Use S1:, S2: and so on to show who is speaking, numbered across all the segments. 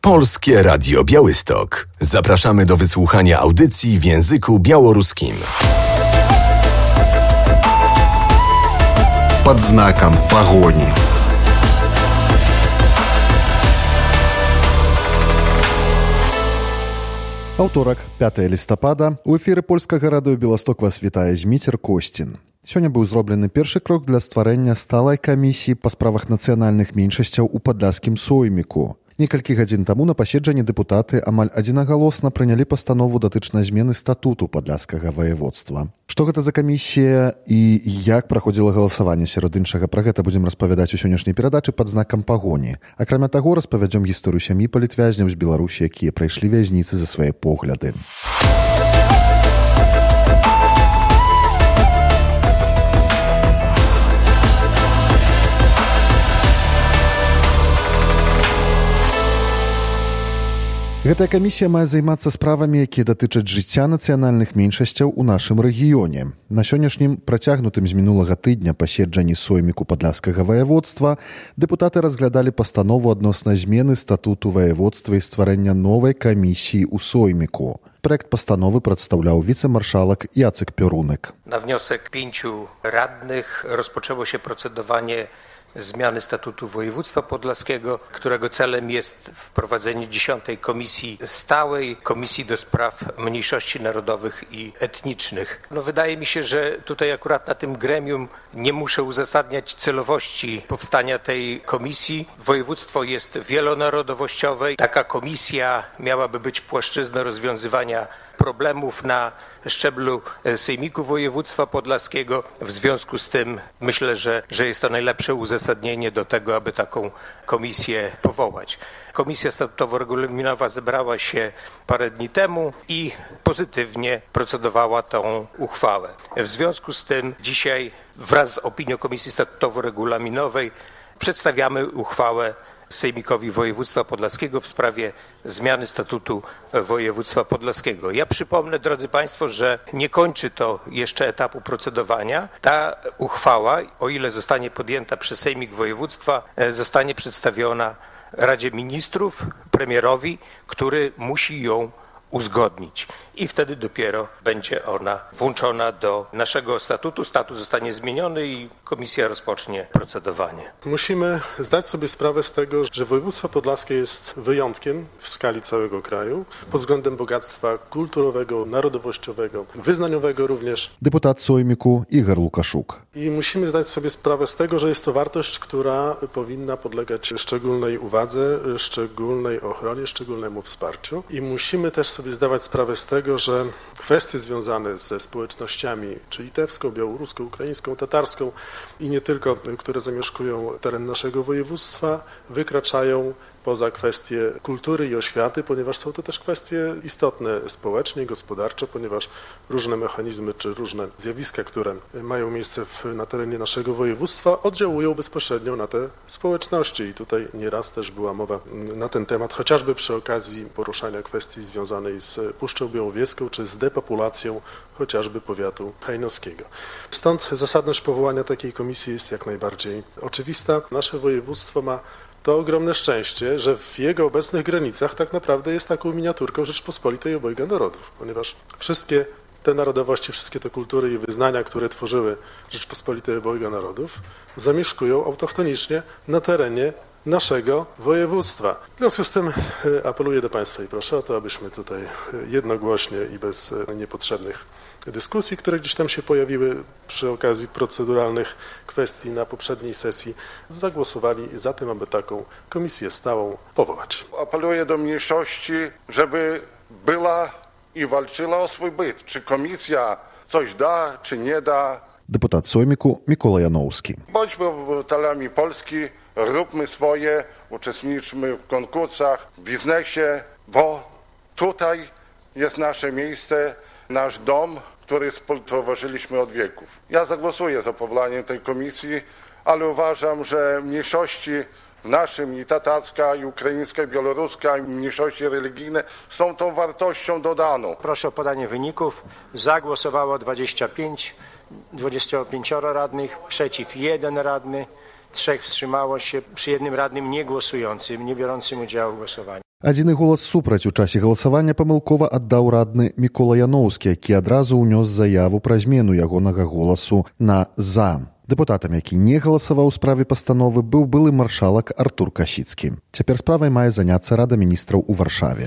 S1: Polskie Radio Białystok. Zapraszamy do wysłuchania audycji w języku białoruskim.
S2: Под знаком погони. Аўторак, 5 лістапада. У эфіры польскага радыё Беласток вас вітае Зміцер Косцін. Сёння быў зроблены першы крок для стварэння сталай камісіі па справах нацыянальных меншасцяў у падляшскім сойміку. Некалькі гадзін таму на паседжанні дэпутаты амаль адзінагалосна прынялі пастанову датычнай змены статуту падляшскага ваяводства. Што гэта за камісія і як праходзіла галасаванне сярод іншага, пра гэта будзем распавядаць у сённяшняй перадачы пад знакам пагоні. Акрамя таго, распавядзём гісторыю сям'і палітвязняў з Беларусі, якія прайшлі вязніцы за свае погляды. Гэтая камісія мае займацца справамі, якія датычаць жыцця нацыянальных меншасцяў у нашым рэгіёне. На сённяшнім працягнутым з мінулага тыдня паседжанні сойміку падляшскага ваяводства дэпутаты разглядалі пастанову адносна змены статуту ваяводства і стварэння новай камісіі ў сойміку. Проект постановы przedstawiał wicemarszałek Jacek Piorunek.
S3: Na wniosek 5 radnych rozpoczęło się procedowanie zmiany statutu województwa podlaskiego, którego celem jest wprowadzenie 10. komisji stałej, komisji do spraw mniejszości narodowych i etnicznych. Wydaje mi się, że tutaj akurat na tym gremium nie muszę uzasadniać celowości powstania tej komisji. Województwo jest wielonarodowościowe. Taka komisja miałaby być płaszczyzną rozwiązywania problemów na szczeblu Sejmiku Województwa Podlaskiego. W związku z tym myślę, że jest to najlepsze uzasadnienie do tego, aby taką komisję powołać. Komisja statutowo-regulaminowa zebrała się parę dni temu i pozytywnie procedowała tą uchwałę. W związku z tym dzisiaj wraz z opinią Komisji Statutowo-Regulaminowej przedstawiamy uchwałę Sejmikowi Województwa Podlaskiego w sprawie zmiany statutu województwa podlaskiego. Ja przypomnę, drodzy Państwo, że nie kończy to jeszcze etapu procedowania. Ta uchwała, o ile zostanie podjęta przez Sejmik Województwa, zostanie przedstawiona Radzie Ministrów, premierowi, który musi ją uzgodnić. I wtedy dopiero będzie ona włączona do naszego statutu. Statut zostanie zmieniony i komisja rozpocznie procedowanie.
S4: Musimy zdać sobie sprawę z tego, że województwo podlaskie jest wyjątkiem w skali całego kraju pod względem bogactwa kulturowego, narodowościowego, wyznaniowego również.
S2: Deputat Sojmiku Igor Łukaszuk.
S4: I musimy zdać sobie sprawę z tego, że jest to wartość, która powinna podlegać szczególnej uwadze, szczególnej ochronie, szczególnemu wsparciu. I musimy też sobie zdawać sprawę z tego, że kwestie związane ze społecznościami, czy litewską, białoruską, ukraińską, tatarską i nie tylko, które zamieszkują teren naszego województwa, wykraczają poza kwestie kultury i oświaty, ponieważ są to też kwestie istotne społecznie, gospodarczo, ponieważ różne mechanizmy czy różne zjawiska, które mają miejsce na terenie naszego województwa, oddziałują bezpośrednio na te społeczności. I tutaj nieraz też była mowa na ten temat, chociażby przy okazji poruszania kwestii związanej z Puszczą Białowieską czy z depopulacją chociażby powiatu hajnowskiego. Stąd zasadność powołania takiej komisji jest jak najbardziej oczywista. Nasze województwo ma to ogromne szczęście, że w jego obecnych granicach tak naprawdę jest taką miniaturką Rzeczpospolitej obojga narodów, ponieważ wszystkie te narodowości, wszystkie te kultury i wyznania, które tworzyły Rzeczpospolitej obojga narodów, zamieszkują autochtonicznie na terenie naszego województwa. W związku z tym apeluję do Państwa i proszę o to, abyśmy tutaj jednogłośnie i bez niepotrzebnych dyskusji, które gdzieś tam się pojawiły przy okazji proceduralnych kwestii na poprzedniej sesji, zagłosowali za tym, aby taką komisję stałą powołać.
S5: Apeluję do mniejszości, żeby była i walczyła o swój byt. Czy komisja coś da, czy nie da.
S2: Deputat Sojmiku Mikołaj Janowski.
S5: Bądźmy obywatelami Polski, róbmy swoje, uczestniczmy w konkursach, w biznesie, bo tutaj jest nasze miejsce, nasz dom, który współtworzyliśmy od wieków. Ja zagłosuję za powołaniem tej komisji, ale uważam, że mniejszości w naszym i tatarska, i ukraińska, i białoruska, i mniejszości religijne są tą wartością dodaną.
S6: Proszę o podanie wyników. Za głosowało 25 radnych, przeciw 1 radny, 3 wstrzymało się przy 1 radnym niegłosującym, nie biorącym udziału w głosowaniu.
S2: Адзіны голас супраць у часе галасавання памылкова аддаў радны Мікола Яноўскі, які адразу ўнёс заяву пра змену ягонага голасу на «за». Дэпутатам, які не галасаваў у справе пастановы, быў былы маршалак Артур Касіцкі. Цяпер справай мае заняцца Рада міністраў у Варшаве.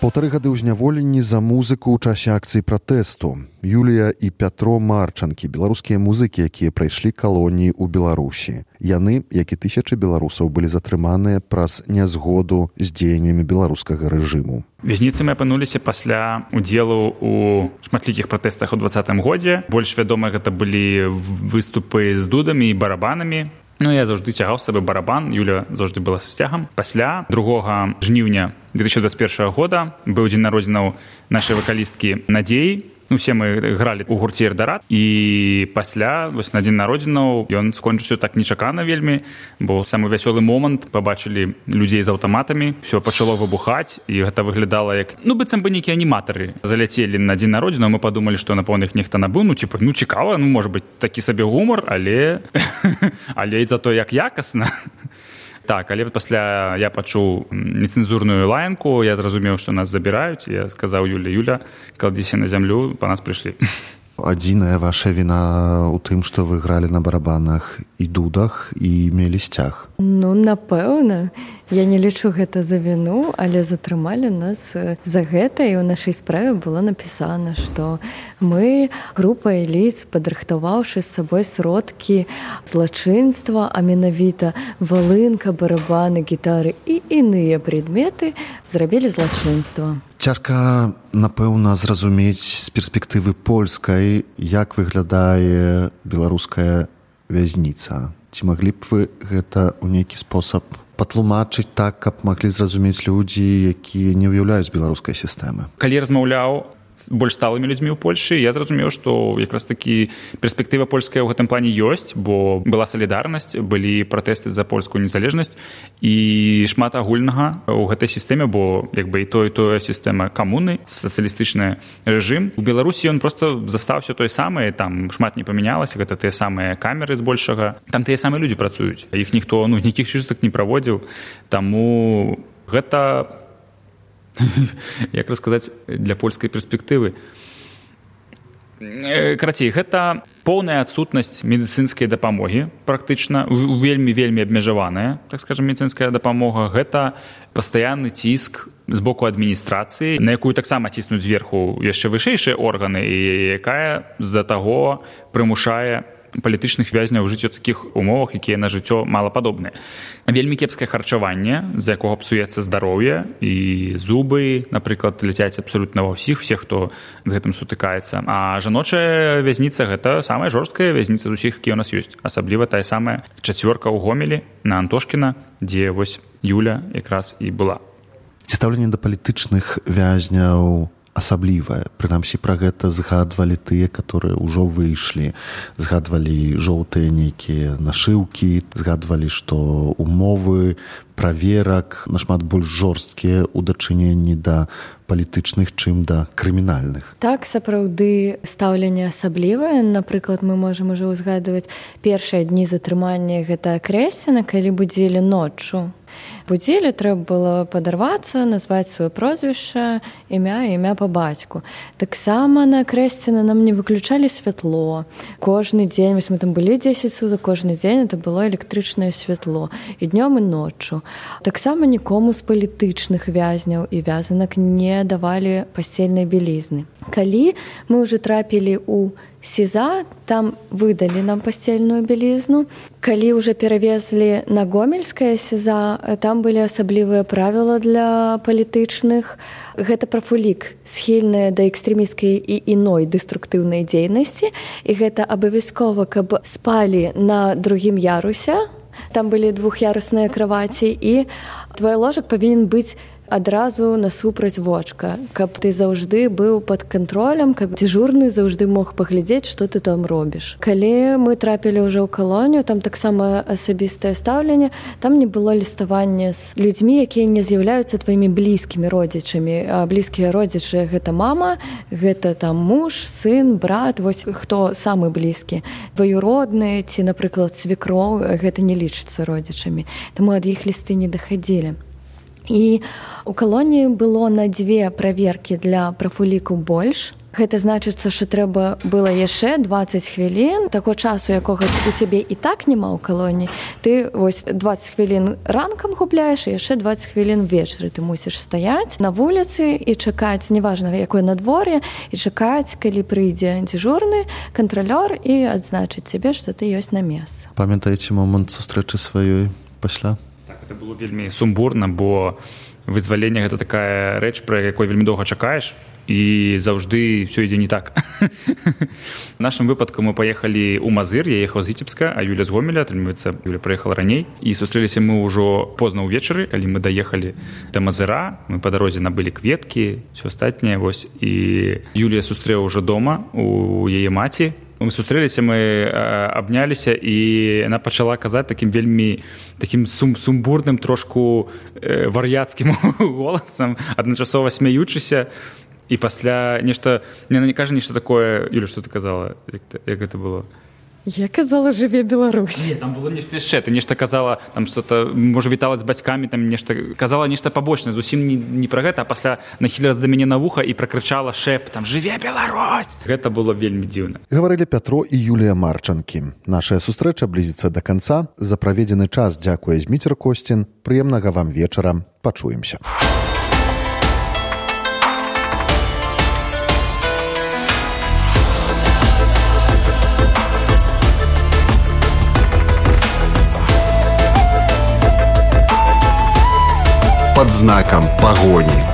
S2: Паўтары гады ў зняволенні за музыку ў часе акцыі пратэсту. Юлія і Пятро Марчанкі, беларускія музыкі, якія прайшлі калоніі ў Беларусі. Яны, як і тысячы беларусаў, былі затрыманыя праз нязгоду з дзеяннямі беларускага рэжыму.
S7: Вязніцамі апынуліся пасля удзелу ў шматлікіх пратэстах у 2020 годзе. Больш вядома, гэта былі выступы з дудамі і барабанамі. Я заўжды цягаў з сабой барабан, Юля заўжды была са сцягам. Пасля 2 жніўня 2021 года быў дзень народзінаў нашай вакалісткі Надзеі. Усе мы гралі ў гурце «Эрдорад». І пасля, на дзень народзінаў, ён скончыўся так нечакана вельмі, бо самы вясёлы момант, пабачылі людзей з аўтаматамі, ўсё пачало выбухаць, і гэта выглядала як... быццам бы нейкія аніматары заляцелі на дзень народзінаў, мы падумалі, што, напэўна, іх нехта набыў, цікава, можа быць, такі сабе гумар, але і зато як якасна. Так, але пасля я пачуў нецэнзурную лаянку, я зразумеў, што нас забіраюць, я сказаў Юля, кладзіся на зямлю, па нас прыйшлі.
S2: Адзіная ваша віна ў тым, што вы гралі на барабанах і дудах і мелі сцяг?
S8: Напэўна. Я не лічу гэта за віну, але затрымалі нас за гэта, і ў нашай справе было напісана, што мы, група эліт, падрыхтаваўшы з сабой сродкі злачынства, а менавіта валынка, барабаны, гітары і іныя прадметы, зрабілі злачынства.
S2: Цяжка, напэўна, зразумець з перспектывы польскай, як выглядае беларуская вязніца. Ці маглі б вы гэта ў нейкі спосаб патлумачыць так, каб маглі зразумець людзі, якія не ўяўляюць беларускай сістэмы?
S7: Калі размаўляў з больш сталымі людзьмі ў Польшы, я зразумеў, што якраз такі перспектыва польская ў гэтым плане ёсць, бо была салідарнасць, былі пратэсты за польскую незалежнасць і шмат агульнага ў гэтай сістэме, бо і тое сістэма камуны, сацыялістычны рэжым. У Беларусі ён проста застаўся той самы, там шмат не памянялася, гэта тыя самыя камеры збольшага. Там тыя самыя людзі працуюць, іх ніхто, нейкіх чыстак не праводзіў, таму гэта... як расказаць для польскай перспектывы. Карацей, гэта поўная адсутнасць медыцынскай дапамогі, практычна, вельмі абмежаваная, так скажам, медыцынская дапамога. Гэта пастаянны ціск з боку адміністрацыі, на якую таксама ціснуць зверху яшчэ вышэйшыя органы, і якая з-за таго прымушае палітычных вязняў жыць у такіх умовах, якія на жыццё малападобныя. Вельмі кепскае харчаванне, з якога псуецца здароўе, і зубы, напрыклад, ляцяць абсалютна ва ўсіх, хто з гэтым сутыкаецца. А жаночая вязніца – гэта самая жорсткая вязніца з усіх, якія ў нас ёсць. Асабліва тая самая 4 ў Гомелі на Антошкіна, дзе вось Юля якраз і была.
S2: Ці стаўленне да палітычных вязняў асаблівае. Прынамсі, пра гэта згадвалі тыя, которые ўжо выйшлі. Згадвалі жоўтыя нейкія нашыўкі, згадвалі, што умовы праверак нашмат больш жорсткія ў дачыненні да палітычных, чым да крымінальных.
S8: Так, сапраўды, стаўленне асаблівае. Напрыклад, мы можам ужо ўзгадваць першыя дні затрымання гэта Крэсціна, калі будзілі ноччу. Будзілі, трэба было падарвацца, назваць сваё прозвішча, імя па бацьку. Таксама на Крэсціна нам не выключалі святло. Кожны дзень, мы там былі 10 сутак, кожны дзень это было электрычнае святло. І днём, і ноччу. Таксама нікому з палітычных вязняў і вязанак не давалі пасцельнай бялізны. Калі мы ўжо трапілі ў СІЗА, там выдалі нам пасцельную бялізну. Калі ўжо перавезлі на Гомельскае СІЗА, там былі асаблівыя правілы для палітычных. Гэта прафулік, схільная да экстрэмісцкай і іной дэструктыўнай дзейнасці. І гэта абавязкова, каб спалі на другім ярусе. Там былі двух'ярусныя краваці, і твой ложак павінен быць адразу насупраць вочка, каб ты заўжды быў пад кантролем, каб дзежурны заўжды мог паглядзець, што ты там робіш. Калі мы трапілі ўжо ў калонію, там таксама асабістае стаўленне, там не было ліставання з людзьмі, якія не з'яўляюцца тваімі блізкімі родзічамі. А блізкія родзічы — гэта мама, гэта там муж, сын, брат, вось хто самы блізкі. Дваюродныя ці, напрыклад, свекроў — гэта не лічыцца родзічамі. Таму ад іх лісты не дахадзілі. І у калоніі было на 2 праверкі для прафуліку больш. Гэта значыцца, што трэба было яшчэ 20 хвілін, таго часу, якога у цябе і так няма ў калоніі. Ты вось 20 хвілін ранкам губляеш, і яшчэ 20 хвілін вечары ты мусіш стаяць на вуліцы і чакаць, неважна, якое надвор'е, і чакаць, калі прыйдзе дзежурны, кантралёр і адзначыць цябе, што ты ёсць на месцы.
S2: Памятаеце момант сустрэчы сваёй пасля?
S7: Это было вельмі сумбурна, бо вызваленне — гэта такая рэч, пра якой вельмі доўга чакаеш, і заўжды ўсё ідзе не так. В нашым выпадку мы паехалі ў Мазыр, я ехаў з Віцебска, а Юля з Гомеля, атрымліваецца, Юля прыехала раней, і сустрэліся мы ўжо позна ўвечары, калі мы даехалі да Мазыра, мы па дарозе набылі кветкі, ўсё астатняе, вось, і Юлія сустрэла ўжо дома у яе маці. Мы сустрэліся, мы абняліся, і яна пачала казаць такім вельмі такім сумбурным, трошку вар'яцкім голасам, адначасова смяючыся, і пасля нешта, яна не кажа нешта такое. Юля, што ты казала? Як гэта было?
S8: Я казала, жыве Беларусь.
S7: Не, там было нешта яшчэ. Ты нешта казала, там што-то, можа, вітала з бацькамі, там нешта, казала нешта пабочнае, зусім не пра гэта, а пасля нахілілася да мяне на вуха і пракрычала шэптам: «Жыве Беларусь!» Гэта было вельмі дзіўна.
S2: Гаварылі Пятро і Юлія Марчанкі. Нашая сустрэча блізіцца да канца. За праведзены час дзякуе Зміцер Косцін. Прыемнага вам вечара. Пачуемся.
S9: Под знаком погони.